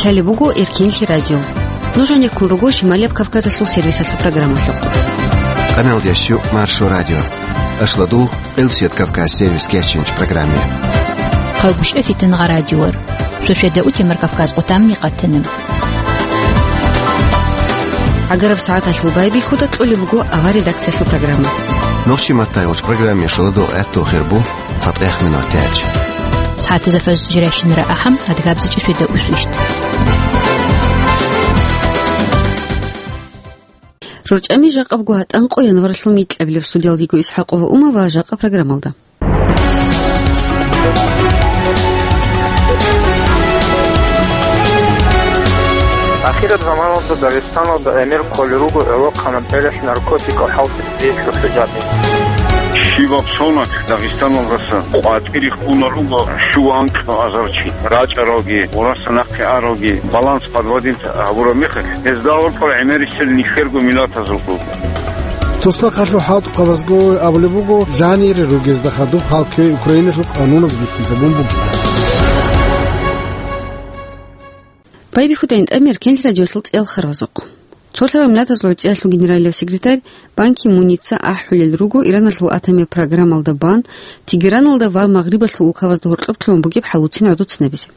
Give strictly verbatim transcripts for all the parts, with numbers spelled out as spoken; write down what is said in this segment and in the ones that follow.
Гьале буго Эркенлъи радио. Нуж гьанеккун руго Шималияб Кавказалъул сервисалъул программалъухъ. Къаналдияс щу Маршо радио. Ашладугъ, Къилсият Кавказ сервис кечинч программе. Хъагушев Фитангъа радиор. Шошеда утемар Кавказ къутамни къатана. Агараб сагӀаталъул байбихьуда кьолеб буго авар редакциялъул программа. Нохчи маттай гъоч программе шоладугъ гӀатту хирбу. ЦатӀех минутач. СагӀатазда фаз жирайщинара ахӀам, адгабзичӀеб шведа усвищт. РорчӀами жакъабго гьатӀанкъо январалъул микьабилеб. Студиялдиго ИсхӀакъова Ума ва жакъа программалда. Ахираб заманалда Дагъистаналда гӀемер кколел руго гӀолохъанаб гӀелалъ наркотикал хӀалтӀизабиялъул хӀужаби. Щибаб соналъ Дагъистаналдаса къватӀире ккуна руго щуанкь азарчи, рачӀаралги, гъураса нахъе аралги, баланс подводить гьабураб мехалъ, гьезда гьоркьор гӀемерисел нилъерго миллатазул руго. Туснахъалъул хӀалтӀухъабазго абулеб буго, жанире ругезда хадуб хал кквей Украиналъул къануназ бихьизабун бугеб. Байбихьуда гӀинтӀамер Кенлъ радиолъул цӀел харвазухъ. Цолъарал Миллатазул ГӀуцӀиялъул генералияв секретарь Бан Ки Муница ахӀулел руго Ираналъул атомияб программалда бан Тегераналда ва Магърибалъул улкабазда гьоркьоб лъугьун бугеб хӀалуцин гӀодоцинабизе.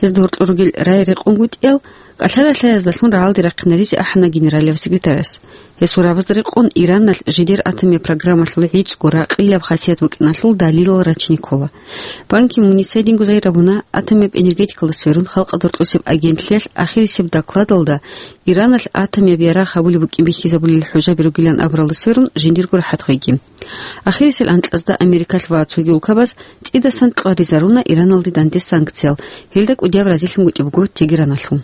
Гьезда гьоркьор ругел рай рекъон гутӀиял кӀалъала лъаязда лъун рагӀалде рахъинаризе ахӀана генералияв секретарас. Гьесул рабазда рекъон Ираналъ жидер атомияб программалъул гӀицӀго ракъилаб хасият букӀиналъул далилал рачине ккола. Бан Ки Муница гьединго загьир абуна, атомияб энергетикалда сверун халкъалда гьоркьосеб агентлъиялъ ахирисеб докладалда Ираналъ атомияб ярагъ гьабулеб букӀин бихьизабулел хӀужаби ругилан абуралда сверун жиндирго рахӀат гъеги. Ахирисел анкьазда Америкалъ ва цоги улкабаз цӀидасан кьваризаруна Ираналде данде санкциял, гьелда кӀудияб разилъун букӀеб буго Тегераналъул.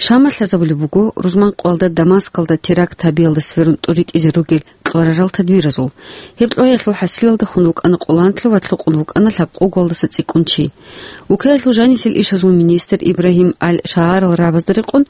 Шамалъ лъазабулеб буго рузман къоялда Дамаскалда теракт гьабиялда сверун тӀуритӀизе ругел кьварарал тадбиразул. Гьеб кьвагьиялъул хӀасилалда хун вукӀана къоланлъу ва лъукъун вукӀана лъабкъоголдаса цӀикӀкӀун чи. Украиналъул жанисел ишазул министр Ибрагьим Аль-Шаагьарал рагӀабазда рекъон,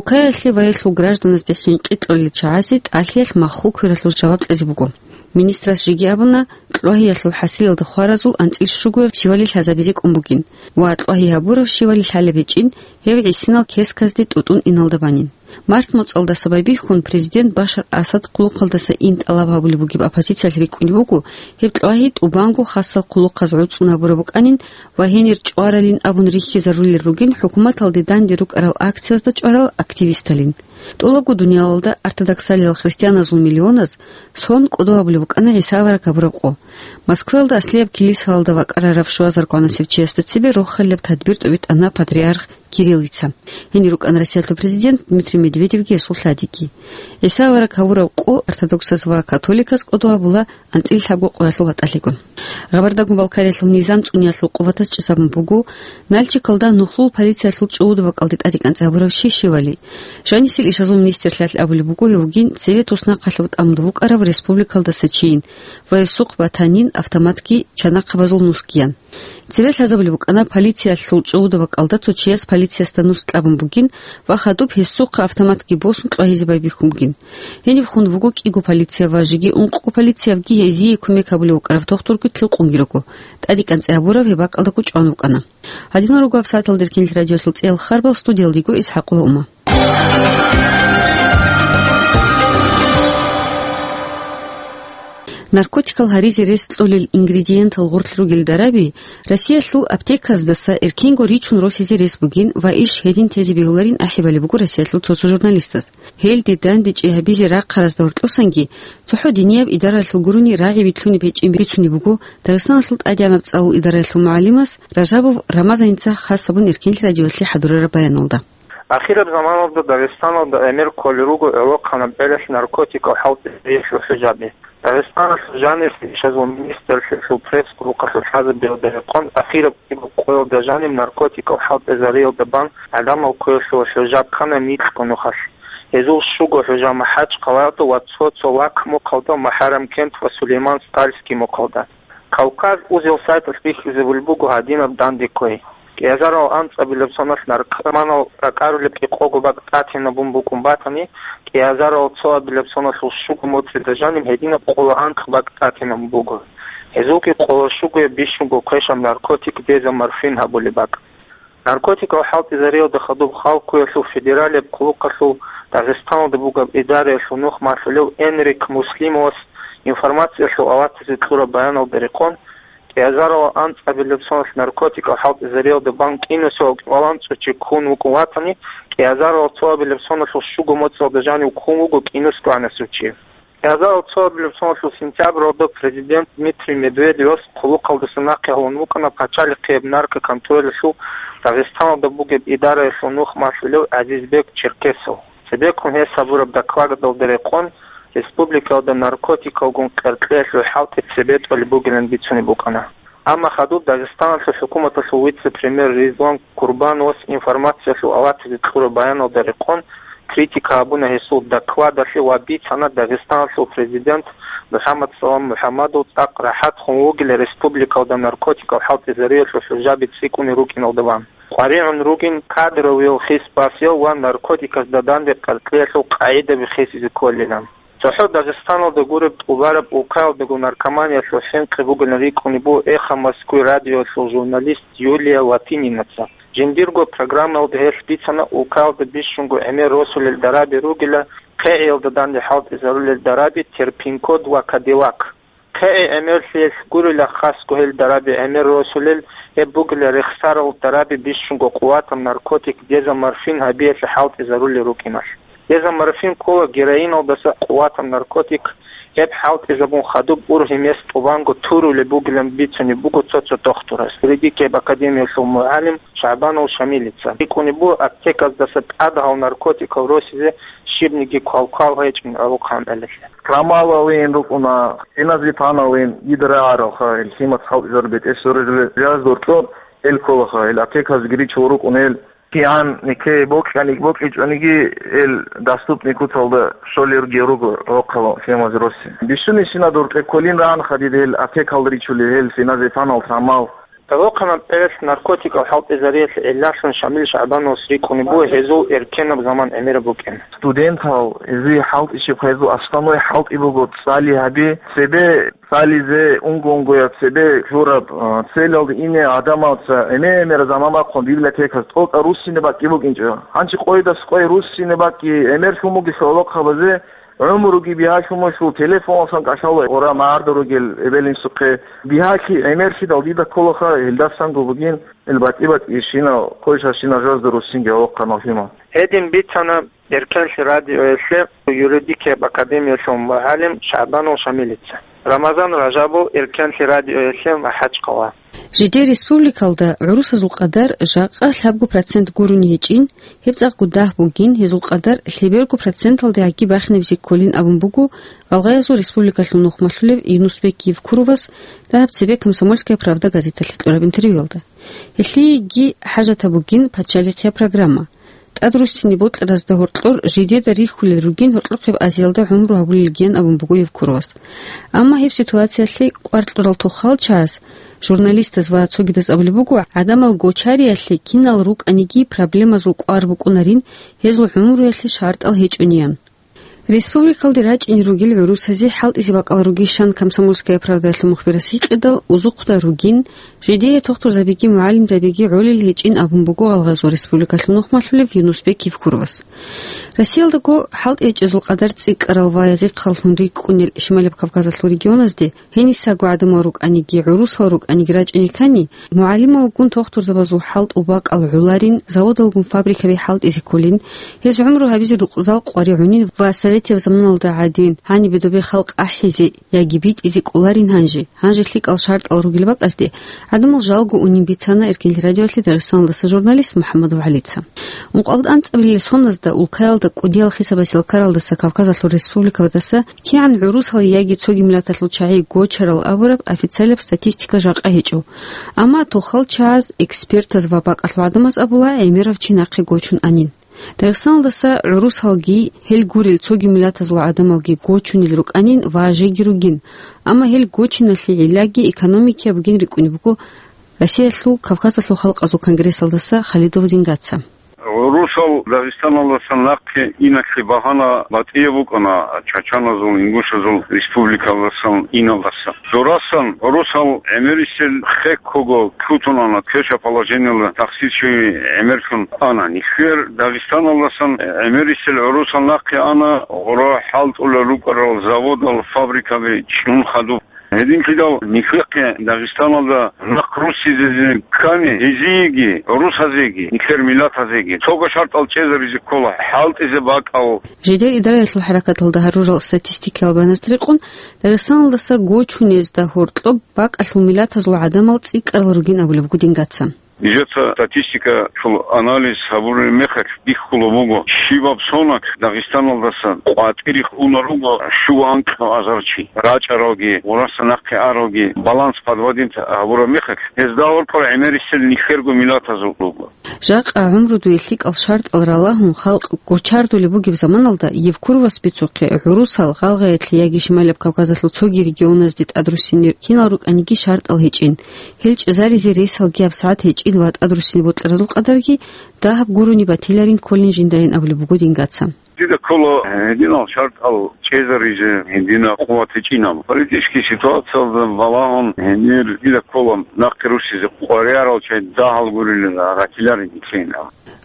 Украиналъе ва гьелъул гражданазде хӀинкъи кьолел чагӀазе тӀалъиялъ маххул квералъул жаваб кьезе буго. Министрас жеги абуна, кьвагьиялъул хӀасилалда хваразул анцӀил щугояб щивали лъазабизе кӀун бугин ва кьвагьи гьабурав щивали лъалеб гьечӀин, гьев гӀисинал кесказде тӀутӀун иналда банин. Март моцӀалдаса байбихьун президент Башар Асад хъулухъалдаса ин тӀалаб гьабулеб бугеб оппозициялъ рикӀкӀунеб буго, гьеб кьвагьи тӀубанго хасал хъулухъаз гӀуцӀун гьабураб букӀанин ва гьенир чӀваралин абун рихьизарулел ругин хӀукуматалде данде рукӀарал акциязда чӀварал активисталин. ТӀолабго дуниялалда ортодоксалиял христианазул миллионаз сон кӀодо гьабулеб букӀана ГӀиса авараг гьабураб къо. Москваялда аслияб килисаялда вакӀарарав щуазаргванасев чиясда цебе рохалилаб тадбир тӀобитӀана патриарх Кириллица. Гьенир рукӀана Россиялъул президент Дмитрий Медведевги гьесул лъадиги. ГӀиса авараг гьавурав къо ортодоксаз ва католиказ кӀодо гьабула анцӀила лъабго къоялъул батӀалъигун. Гъабардагун-Балкариялъул низам цӀуниялъул къуватаз чӀезабун буго Нальчикалда нухлул полициялъул чӀужугӀадаби бакӀалде тӀадекӀанцӀи гьабурав чи щивали. Жанисел ишазул министрлъиялъ абулеб буго гьев вугин цеве туснахъалъув тӀамун вукӀарав республикалдаса чийин ва гьесухъ батанин автоматги чанахъабазул нусгиян. Цеве лъазабулеб букӀана полициялъул чӀужугӀадаби бакӀалда цо чияс полициясда нус кьабун бугин ва хадуб гьесухъа автоматги босун кьвагьизе байбихьун бугин. Гьениб хун вуго кӀиго полиция ва жеги ункъго полициявги гьезие кумек гьабулев вукӀарав тухтурги лъукъунги руго. ТӀадекӀанцӀи гьабурав гьеб бакӀалдаго чӀван вукӀана. Гьадинал руго гьабсагӀаталда Эркенлъи радиолъул цӀел харбал, студиялдиго ИсхӀакъ ва Ума. Наркотикал гьаризе рес кьолел ингредиентал гъорлъ ругел дараби Россиялъул аптеказдаса эркенго ричун росизе рес бугин ва иш гьедин тезе бегьуларин ахӀи балеб буго Россиялъул цо-цо журналистаз. Гьелде дандечӀи гьабизе рахъаразда гьоркьосанги цохӀо динияб идараялъул гурони рагӀи вилълъунеб гьечӀин бицунеб буго Дагъистаналъул тӀадегӀанаб цӀалул идараялъул мугӀалимас Ражабов Рамазаница хас гьабун Эркенлъи радиоялъе хӀадурараб баяналда. Ахираб заманалда Дагъистаналда гӀемер кколел руго гӀолохъанаб гӀелалъ наркотикал хӀалтӀизабиялъул хӀужаби. Дагъистаналъул жанивлъи ишазул министрлъиялъул пресс-службалъул лъазабиялда рекъон, ахираб кӀиго къоялда жанив наркотикал хӀалтӀизариялда бан гӀадамал кквеялъул хӀужаб ккана нилъго нухалъ. Гьезул щуго хӀужа МахӀачхъалаялда ва цо-цо лакмухъалда, МухӀаррам-Кент ва Сулейман-Стальский мухъалда. Кавказ узел сайталъ бихьизабулеб буго гьадинаб данде кквей. КӀиазарал анцӀабилеб соналъ наркоманал ракӀарулеб кӀикъого бакӀ тӀатинабун букӀун батани, кӀиазарал цоабилеб соналъул щуго моцӀида жаниб гьединаб къоло анкь бакӀ тӀатинабун буго. Гьезулги къоло щугояб бищунго квешаб наркотик дезоморфин гьабулеб бакӀ. Наркотикал хӀалтӀизариялда хадуб Халкъалъул федералияб хъулухъалъул Дагъистаналда бугеб идараялъул нух малъулев Энрик Муслимовас информациялъул аватазе кьураб баяналда рекъон, кӀиазарал анцӀабилеб соналъ наркотикал хӀалтӀизариялда бан кӀинусиялда кӀикъоялда цӀуд чи ккун вукӀун ватани, кӀиазарал цоабилеб соналъул щуго моцӀалда жанив ккун вуго кӀинусиялда цӀуд чи. КӀиазарал цоабилеб соналъул сентябралда президент Дмитрий Медведевас хъулухъалдаса нахъе гьавун вукӀана пачалихъияб наркоконтролалъул Дагъистаналда бугеб идараялъул нух малъулев ГӀазизбек Черкесов. Цебеккун гьес гьабураб докладалда рекъон, республикалда наркотикалгун къеркьеялъул хӀалтӀи цебе тӀолеб бугилан бицунеб букӀана. Амма хадуб Дагъистаналъул хӀукуматалъул вице-премьер Ризван Курбановас информациялъул аватазе кьураб баяналда рекъон, критика гьабуна гьесул докладалъе ва бицана Дагъистаналъул президент МухӀаммад Салам МухӀаммадов цӀакъ рахӀатгун вугила республикалда наркотикал хӀалтӀизариялъул хӀужаби цӀикӀкӀунел рукӀиналда бан. КъваригӀун ругин кадровиял хис басиял ва наркотикасда данде къеркьеялъул къагӀидаби хисизе кколилан. ЦохӀо Дагъистаналда гуреб тӀубараб улкаялдаго наркоманиялъул хӀинкъи бугилан рикӀкӀунеб буго «Эхо Москвы» радиоялъул журналист Юлия Латининаца. Жиндирго программаялда гьелъ бицана улкаялда бищунго гӀемер росулел дараби ругила, хъегӀиялда данде хӀалтӀизарулел дараби «Терпин-код» ва «Кадиллак». ХъегӀи гӀемерлъиялъ гурила хасго гьел дараби гӀемер росулел, гьеб бугила рехсарал дараби бищунго къуватаб наркотик дезоморфин гьабиялъе хӀалтӀизарулел рукӀиналъ. Дезоморфин ккола героиналдаса къуватаб наркотик, гьеб хӀалтӀизабун хадуб ургьиб гьес тӀубанго турулеб бугилан бицунеб буго цо-цо дохтурас, юридикияб академиялъул мугӀалим ШагӀбанов Шамилица. РикӀкӀунеб буго аптеказдаса тӀад гьал наркотикал росизе щибниги квалквал гьечӀин гӀолохъанкъалъе. Трамалалин рукӀуна, феназепамалин, гидрааралха, гьел лъимаца хӀалтӀизарулел бетӀер сорулел жаз доркьор, гьел кколаха, гьел аптеказги ричун рукӀун гьел. КигӀан нике бокьани-, бокьичӀониги, гьел доступный куцалда щолел руго гӀолохъанал лъимазе росизе. Бищунищина доркье кколин рагӀанха дида гьел аптекалда ричулел гьел феназепамал, трамал. ГӀолохъанал бетӀералъ наркотикал хӀалтӀизариялъе гӀиллалъун Шамил ШагӀбановас рикӀкӀунеб буго гьезул эркенаб заман гӀемераб букӀин. Студентал, гьезие хӀалтӀичӀеб, гьезул основной хӀалтӀи буго цӀали гьаби, цебе цӀализе, унго-унгояб цебе лъураб, а, целалде ине гӀадамаца гӀемер-гӀемераб заман бахъун библиотекаялъ тӀокӀаб руссине бакӀги букӀинчӀо. Гьанже къойидаса къой руссине бакӀги гӀемерлъун бугелъул гӀолохъабазе, гӀумруги бигьалъун мухьул, телефоналъан кӀалъала гъура магӀарда ругел эбел-инсухъе. Бигьалъи гӀемерлъидал дида кколаха, гьелдасанго бугин, гьел батӀи-батӀи щинал, къойшал щинал жугьазда руссинги гӀолохъанал лъимал. Гьедин бицана Эркенлъи радиоялъе юридикияб академиялъул мугӀалим ШагӀбанов Шамилица. Рамазан Ражабов, Эркенлъи радиоялъе, МахӀачхъала. Жидер республикалда гӀурусазул къадар жакъа лъабго процент гурони гьечӀин, гьеб цӀакъго дагь бугин, гьезул къадар лъеберго проценталдеги бахинабизе кколин абун буго Гъалгъаязул республикалъул нухмалъулев Юнусбек Евкуровас дагьаб цебе «Комсомольская правда» газеталъе кьураб интервьюялда. Гьелъиеги хӀажатаб бугин пачалихъияб программа. ТӀад руссине бокьаразда гьоркьор жидеда рихьулел ругин гьоркьохъеб Азиялда гӀумру гьабулелгиян абун буго Евкуровас. Амма гьеб ситуациялъе кӀвар кьурал тохал чагӀаз, журналистаз ва цогидаз абулеб буго, гӀадамал гочариялъе кинал рукӀаниги проблемазул кӀвар букӀунарин, гьезул гӀумруялъе шартӀал гьечӀониян. Республикалде рачӀине ругел гӀурусазе хӀалтӀизе бакӀал ругищан «Комсомольская правда»ялъул мухбирас гьикъидал, узухъда ругин, жидее тухтурзабиги мугӀалимзабиги гӀолел гьечӀин абун буго Гъалгъазул республикалъул нухмалъулев Юнусбек Евкуровас. Россиялдаго хӀалтӀи гьечӀезул къадар цӀикӀкӀарал ва язихъаллъун рикӀкӀунел Шималаб Кавказалъул регионазде гьенисаго гӀадамал рукӀаниги, гӀурусал рукӀаниги рачӀине ккани, мугӀалималгун тухтурзабазул хӀалтӀул бакӀал гӀоларин, заводалгун фабрикаби хӀалтӀизе кколин, гьез гӀумру гьабизе рукъзал къваригӀунин ва советияб заманалда гӀадин, гьанибе добе халкъ ахӀизе яги битӀизе кӀоларин гьанже. Гьанже лъикӀал шартӀал ругел бакӀазде гӀадамал жалго унин бицана Эркенлъи радиоялъе Дагъистаналдаса журналист МухӀаммадов ГӀалица. Ункъоялда анцӀабилел соназда улкаялда кӀудиял хисабасел ккаралдаса Кавказалъул республикабаздаса кигӀан гӀурусал яги цоги миллаталъул чагӀи гочарал абураб официалаб статистика жакъа гьечӀо. Амма тухал чагӀаз, экспертаз ва бакӀалъул гӀадамаз абула, гӀемерав чи нахъе гочун анин. Дагъистаналдаса гӀурусалги, гьел гурел цоги миллатазул гӀадамалги гочунел рукӀанин ва жеги ругин, амма гьел гочиналъе гӀиллаги экономикияб бугин рикӀкӀунеб буго Россиялъул Кавказалъул халкъазул конгрессалдаса Халидов Дингаца. ГӀурусал Дагъистаналдасан нахъе иналъе багьана батӀияб букӀана чачаназул, ингушазул республикалдасан иналдаса. Дорасан гӀурусал гӀемерисел хеккого лъутун ана, квеша положениялда тахсирчи гӀемерлъун ана. Нилъер Дагъистаналдасан гӀемерисел гӀурусал нахъе ана, гъура хӀалтӀулел рукӀарал заводал, фабрикаби чӀун хадуб. Гьединлъидал нилъехъе Дагъистаналда нахъ руссизезе ккани, гьезиеги, гӀурусазеги, нилъер миллатазеги цого шартӀал чӀезаризе ккола, хӀалтӀизе бакӀал. Жидер идараялъул хӀаракаталда гьарурал статистикиял баназда рекъон, Дагъистаналдаса гочунезда гьоркьоб бакӀалъул миллатазул гӀадамал цӀикӀкӀарал ругин абулеб буго дингаца. Нижеца статистикалъул анализ гьабураб мехалъ бихьулеб буго, щибаб соналъ Дагъистаналдаса къватӀире уна руго щуго анкьго азар чи, рачӀаралги, гъураса нахъе аралги, баланс подводить гьабураб мехалъ, гьезда гьоркьор гӀемерисел нилъерго миллатазул руго. Жакъа гӀумрудуе лъикӀал шартӀал ралагьун, халкъ гочардулеб бугеб заманалда Евкуровас бицухъе гӀурусал, Гъалгъаялъе яги Шималаб Кавказалъул цоги регионазде тӀадруссинел кинал рукӀаниги шартӀал гьечӀин. Гьел чӀезаризе ресалги гьабсагӀат гьечӀин ва тӀадруссине бокьаразул къадарги дагьаб гурони батиларин кколин жиндайин абулеб буго дингаца. Дида ккола гьединал шартӀал чӀезаризе, гьединаб къуват гьечӀинаб. Политический ситуациялда балагьун гьенир дида ккола нахъе руссизе къваригӀарал чагӀи дагьал гурилан гъатиларин гьечӀин.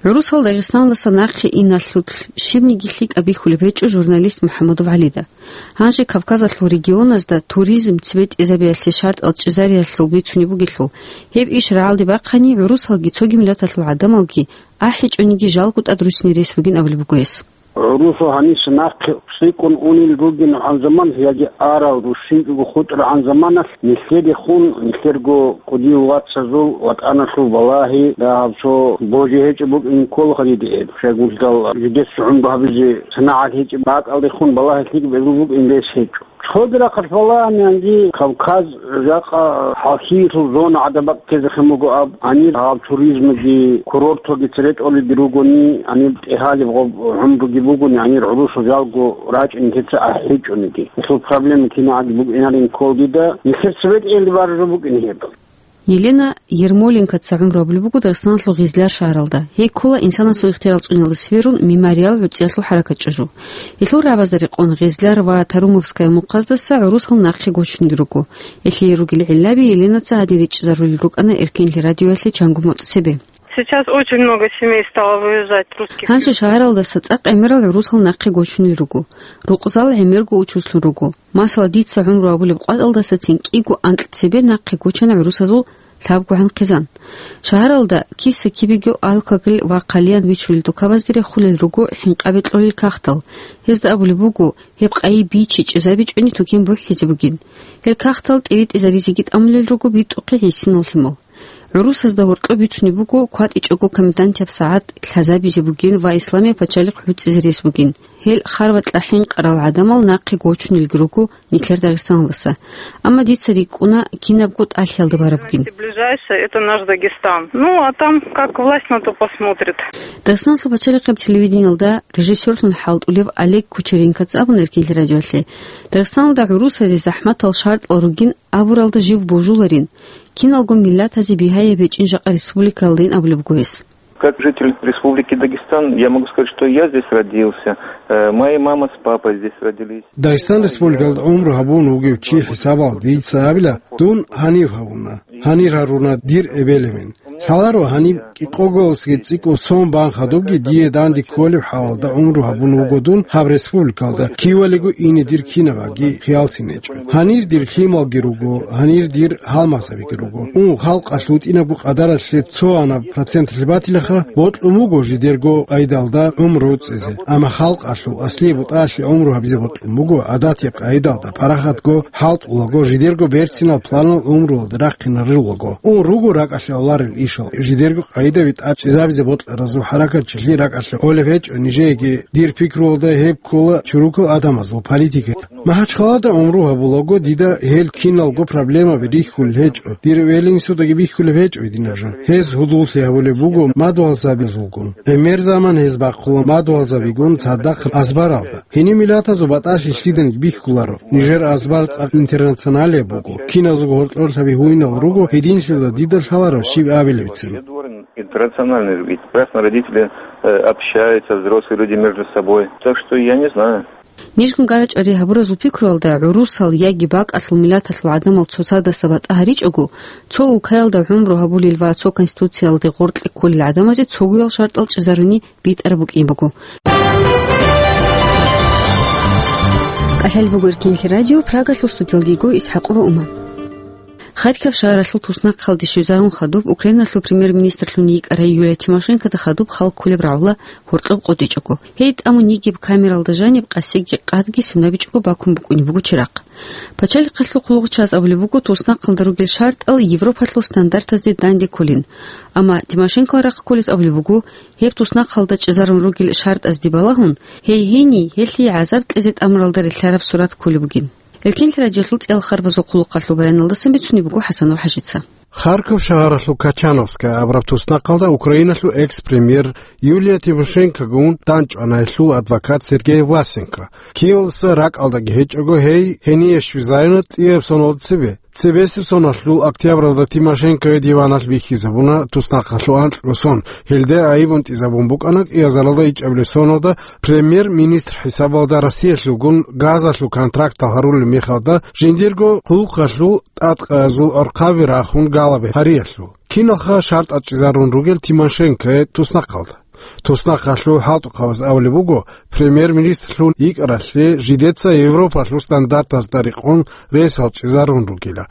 ГӀурусал Дагъистаналдаса нахъе иналъулъ щибниги лъикӀаб бихьулеб гьечӀо журналист МухӀаммадов ГӀалида. Гьанже Кавказалъул регионазда туризм цебетӀезабиялъе шартӀал чӀезариялъул бицунеб бугелъул, гьеб иш рагӀалде бахъани, гӀурусалги цоги миллаталъул гӀадамалги ахӀичӀониги жалго тӀадруссине рес бугин абулеб буго гьес. ГӀурусал гьанис нахъе цӀикӀкӀун унел ругин гьанзаман яги арал рушинчӀого хутӀарагӀан заманалъ нилъерихъун, нилъерго кӀудиял вацазул ватӀаналъул балагьи дагьаб цо божи гьечӀеб букӀин кколаха диде гьеб. Щайгурелъул жидеца гӀумру гьабизе санагӀат гьечӀеб бакӀалдехун балагьи лъикӀ бегьулеб букӀин рес гьечӀо. Цоги рахъалъ балагьананги Кавказ жакъа хӀалхьиялъул зона гӀадаб бакӀ ккезехъин буго аб, гьанир гьаб туризмги, курорталги цере тӀолиги ругони, гьанир тӀегьалеб гъоб гӀумруги бугони, гьанир гӀурусал жалго рачӀин нилъеца ахӀичӀониги. Гьелъул проблема кинагӀаги букӀинарин ккола дида, нилъер цебетӀеялде бараб жо букӀин гьеб. Елена Ермоленкоца гӀумру гьабулеб буго Дагъистаналъул Гъизляр шагьаралда. Гьей ккола инсанасул ихтияр цӀуниялда сверун мемориал гӀуцӀиялъул хӀаракат чӀужу. Гьелъул рагӀабазда рекъон Гъизляр ва Тарумовская мухъаздаса гӀурусал нахъе гочунел руго. Гьелъие ругел гӀиллаби Еленаца гьадин ричӀчӀизарулел рукӀана Эркенлъи радиоялъе чанго моцӀ цебе. Сейчас очень много семей стало выезжать, русских. Гьанже шагьаралдаса цӀакъ гӀемерал гӀурусал нахъе гочунел руго. Рукъзал гӀемерго учулъун руго. Масала, дица гӀумру гьабулеб къватӀалдасацин кӀиго анкь цебе нахъе гочана гӀурусазул лъабгогӀан хъизан. Шагьаралда киса-кибего алкоголь ва хъалиян бичулел дукабазде рехулел руго хӀинкъаби кьолел кагътал. Гьезда абулеб буго, гьеб къайи бичи чӀезабичӀони тукен бухӀизе бугин. Гьел кагътал тӀиритӀизаризеги тӀамулел руго битӀухъе гӀисинал лъимал. ГӀурусазда гьоркьоб бицунеб буго кватӀичӀого комендантияб сагӀат лъазабизе бугин ва Исламияб пачалихъ гӀуцӀизе рес бугин. Гьел харбакьа хӀинкъарал гӀадамал нахъе гочунелги руго нилъер Дагъистаналдаса. Амма дица рикӀкӀуна кинабго тӀалъиялда бараб бугин. Ближайшее — это наш Дагестан. Ну, а там как власть на то посмотрит. Дагъистаналъул пачалихъаб телевидениялда режиссерлъун хӀалтӀулев Олег Кучеренкоца абуна Эркенлъи радиоялъе, Дагъистаналда гӀурусазе захӀматал шартӀал ругин абуралда жив божуларин, киналго миллатазе бигьаяб гьечӀин жакъа республикаялдайин абулеб буго гьес. Как житель Республики Дагестан, я могу сказать, что я здесь родился, э, моя мама с папой здесь родились. Дагъистан Республикалда гӀумру гьабун вугев чи хӀисабалда дица абила, дун гьанив гьавуна, гьанир гьаруна дир эбел-эмен. Лъаларо гьаниб кӀикъоголасги цӀикӀкӀун сон бан хадубги дие данде кколеб хӀалалда гӀумру гьабун вуго дун гьаб республикалда, кивалиго ине дир кинабаги хиялцин гьечӀо. Гьанир дир лъималги руго, гьанир дир гьалмагъзабиги руго. Ун халкъалъ вутӀинабго къадаралъе цо гьанаб проценталъе батилаха, бокьун буго жидерго къайдалда гӀумру цӀезе. Амма халкъалъул аслияб бутӀаялъе гӀумру гьабизе бокьун буго гӀадатияб къайдалда, парахатго хӀалтӀулаго, жидерго берцинал планал гӀумруялда рахъинаруллаго. Ун руго ракӀалъе гӀоларел ишал, жидерго къайдаби тӀад чӀезабизе бокьаразул хӀаракатчилъи ракӀалъе гӀолеб гьечӀо нижееги. Дир пикруялда гьеб ккола чурукал адамазул политика. МахӀачхъалада гӀумру гьабулаго дида гьел киналго проблемаби рихьулел гьечӀо, дир велинсудаги бихьулеб гьечӀо гьединаб жо. Гьез гьудуллъи гьабулеб буго мадугьалзабазулгун. ГӀемер заман гьез бахъула мадугьалзабигун цадахъ азбаралда. Гьениб миллатазул батӀалъи лъиданиги бихьуларо. Нижер азбар цӀакъ интернационалияб буго. Киназулго гьоркьорлъаби гьуинал руго, гьединлъидал дида лъаларо щиб абилебицин. Интернациональный ведь. Прекрасно родители э, общаются взрослые люди между собой. Так что я не знаю. Нижгун гарачӀари гьабуразул пикруялда гӀурусал яги бакӀалъул миллаталъул гӀадамал цоцадаса батӀа гьаричӀого, цо улкаялда гӀумру гьабулел ва цо конституциялде гъоркье кколел гӀадамазе цогоял шартӀал чӀезаруни битӀараб букӀин буго. КӀалъалеб буго Эркенлъи радио, Прагалъул студиялда йиго ИсхӀакъова Ума. Харьков шагьаралъул туснахъалде щвезарун хадуб Украиналъул премьер-министрлъун йикӀарай Юлия Тимошенкода хадуб халккулеб рагӀула гьоркьоб къотӀичӀого. Гьей тӀамун йигеб камералда жаниб къасиги къадги сунабичӀого бакун букӀунеб буго чирахъ. Пачалихъалъул хъулухъчияс абулеб буго, туснахъалда ругел шартӀал Европалъул стандартазде данде кколин. Амма Тимошенкола рахъ кколес абулеб буго, гьеб туснахъалда чӀезарун ругел шартӀазде балагьун, гьей гьенив гьелъие гӀазаб кьезе тӀамуралда релълъараб сурат кколеб бугин. Эркенлъи радиолъул цӀиял харбазул хъулухъалъул баяналдасан бицунеб буго ХӀасанов ХӀажица. Харьков шагьаралъул Качановская абураб туснахъалда Украиналъул экс-премьер Юлия Тимошенкогун данчӀвана гьелъул адвокат Сергей Власенко. Киевалдаса ракӀалдаги гьечӀого гьей гьение щвезарина цӀияб соналда цебе. Цебесеб соналъул октябралда Тимошенкое диваналъ бихьизабуна туснахъалъул анкьго сон. Гьелде айиб унтӀизабун букӀана кӀиазаралда ичӀабилеб соналда премьер-министр хӀисабалда Россиялъулгун газалъул контрактал гьарулел мехалда жиндирго хъулухъалъул тӀадкъазул архъаби рахун галаби гьариялъул. Киналха шартӀал чӀезарун ругел Тимошенкое туснахъалда? Туснахъалъул хӀалтӀухъабаз абулеб буго, премьер-министрлъун йикӀаралъе жидеца Европалъул стандартазда рекъон ресал чӀезарун ругила.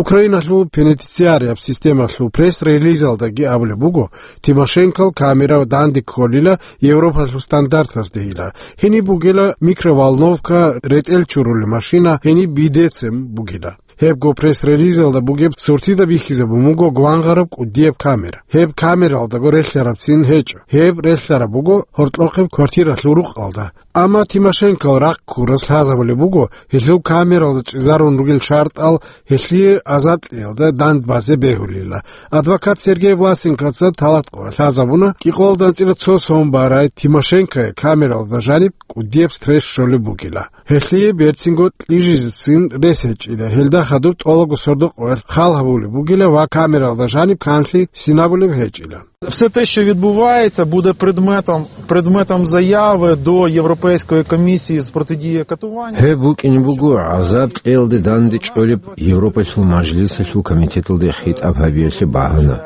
Украиналъул пенитенциарияб системалъул пресс-релизалдаги абулеб буго, Тимошенкол камера данде кколила Европалъул стандартаздейила. Гьениб бугила микроволновка, ретӀел чурулел машина, гьениб бидецем бугила. Гьебго пресс-релизалда бугеб суртида бихьизабун буго гвангъараб кӀудияб камера. Гьеб камералдаго релълъарабцин гьечӀо. Гьеб релълъараб буго гьоркьохъеб квартиралъул рукъалда. Амма Тимошенкол рахъ ккурас лъазабулеб буго, гьелъул камералда чӀезарун ругел шартӀал гьелъие азадлъиялда дандбазе бегьулила. Адвокат Сергей Власенкоца талатӀ къо лъазабуна, кӀикъоялда анцӀила цо сон барай Тимошенкое камералда жаниб кӀудияб стресс щолеб бугила. Гьелъие берцинго кьижизецин рес гьечӀила, гьелда хадуб тӀолабго сордо къоялъ хал гьабулеб бугила ва камералда жаниб канлъи синабулеб гьечӀила. Все те, що відбувається, буде предметом, предметом заяви до Європейської комісії з протидії катуванню. Гьеб букӀине буго гӀазаб кьеялде данде чӀолеб Европалъул мажлисалъул комитеталде хитӀаб гьабиялъе багьана.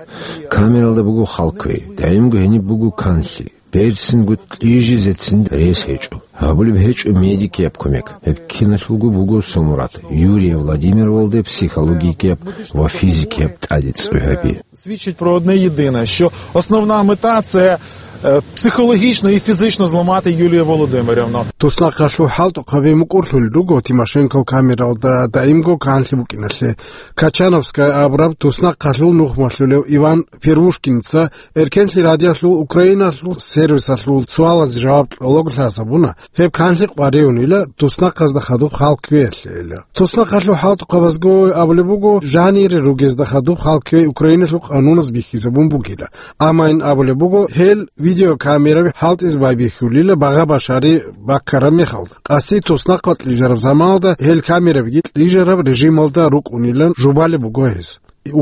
Камералда буго хал кквей, даимго гьениб буго канлъи. Берцинго кьижизецин рес гьечӀо. Гьабулеб гьечӀо медикияб кумек. Гьеб киналъулго буго цо мурад: Юрия Владимировалде психологияб ва физикияб тӀаде цӀуй гьаби. Свідчить про одне єдине, що основна мета — це, е, психологічно і фізично зламати Юлію Володимирівну. Туснахъалъул хӀалтӀухъаби мукӀурлъулел руго Тимошенкол камералда даимго канлъи букӀиналъе. Качановская абураб туснахъалъул нухмалъулев Иван Первушкинца Эркенлъи радиолъул Украиналъул сервисалъул суалазе жаваб кьолаго лъазабуна, гьеб канлъи къваригӀунила туснахъазда хадуб хал кквеялъейила. Туснахъалъул хӀалтӀухъабазго абулеб буго, жанире ругезда хадуб хал кквей Украиналъул къануназ бихьизабун бугила. Амма ин абулеб буго, гьел видеокамераби хӀалтӀизе байбихьулила багъа-башари баккараб мехалда. Къаси туснахъал кьижараб заманалда гьел камерабиги кьижараб режималда рукӀунилан жубалеб буго гьез.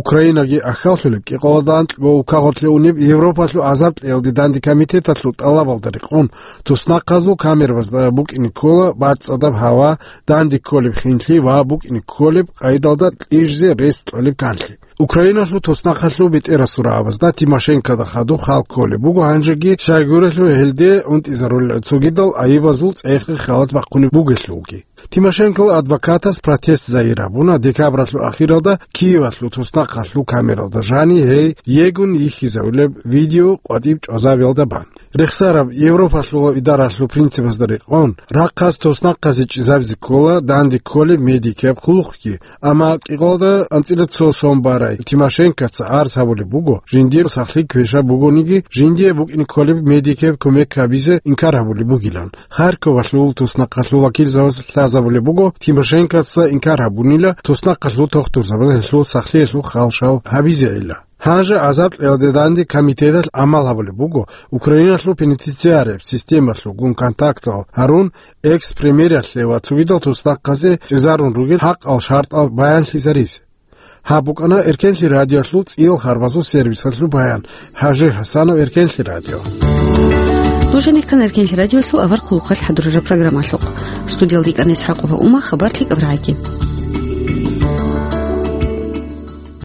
Украинаги ахьаллъулеб кӀикъоялда анкьго улкагъорлъе унеб Европалъул азаблъиялде данде комитеталъул тӀалабалда рекъон, туснахъазул камерабазда букӀине ккола бацӀцӀадаб гьава, данде кколеб хинлъи ва букӀине кколеб къайдалда кьижизе рес кьолеб канлъи. Украиналъул туснахъалъул бетӀерасул рагӀабазда Тимошенкода хадуб хал кколеб буго гьанжеги щайгурелъул гьелде унтӀизарулел цогидал айибазул цӀехги халат бахъунеб бугелъулги. Тимошенкол адвокатас протест загьир гьабуна декабралъул ахиралда Киевалъул туснахъалъул камералда жани гьей йигун йихьизавулеб видео къватӀиб чӀвазабиялда бан. Рехсараб Европалъул идаралъул принципазда рекъон, рахъас туснахъазе чӀезабизе ккола данде кколеб медикияб хъулухъги, амма кӀикъоялда анцӀила цо сон барай Тимошенкоца гӀарз гьабулеб буго, жиндир сахлъи квешаб бугониги, жиндие букӀине кколеб медикияб кумек гьабизе инкар гьабулеб бугилан. Харьковалъул туснахъалъул вакилзабаз лъазабулеб буго, Тимошенкоца инкар гьабунила туснахъалъул тухтурзабаз гьелъул сахлъиялъул халшал гьабизейилан. Гьанже азаблъиялде данде комитеталъ гӀамал гьабулеб буго, Украиналъул пенитенциарияб системалъулгун контактал гьарун, экс-премьералъе ва цогидал туснахъазе чӀезарун ругел хӀакъал шартӀал баянлъизаризе. Гьаб букӀана Эркенлъи радиолъул цӀиял харбазул сервисалъул баян. ХӀажи ХӀасанов, Эркенлъи радио. Нуж гьанир кканар Кинлъи радиолъул авар хъулухъалъ хӀадурараб программалъухъ. Студиялда йикӀана ИсхӀакъова Ума, хабар лъикӀаб рагӀаги.